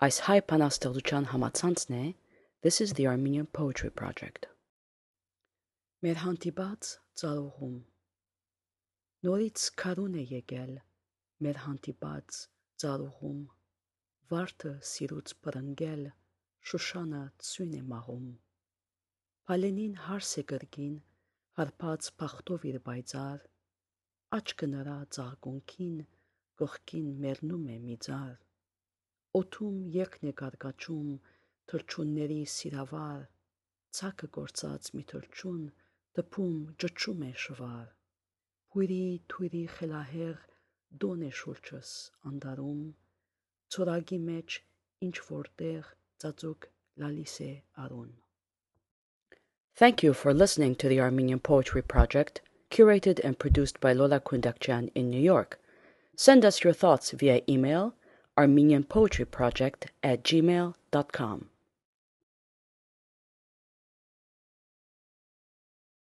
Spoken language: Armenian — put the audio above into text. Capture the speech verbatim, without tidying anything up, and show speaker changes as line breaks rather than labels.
Այս հայ բանաստեղծության համացանցն է This is the Armenian Poetry Project. Մեր հանդիպած ծառուղում նորից քարուն է եկել մեր հանդիպած ծառուղում վարդը սիրուց բռնգել Շուշանը ցույն է մաղում Փալենին հարս է կրկին հարբած փախտով իր բայցար աչքը նրա ծաղկունքին կողքին մեռնում է մի ձար օդում երկն է կարկաչում թրջունների սիրավար ցակը գործած մի թրջուն դփում ճճում է շվար Փույրի թույրի խելահեղ դոն է շուրջս անտարում ծորագի մեջ ինչ որտեղ ծածուկ լալիս է արուն Thank you for listening to the Armenian Poetry Project, curated and produced by Lola Kundakjian in New York. Send us your thoughts via email armenianpoetryproject at gmail dot com.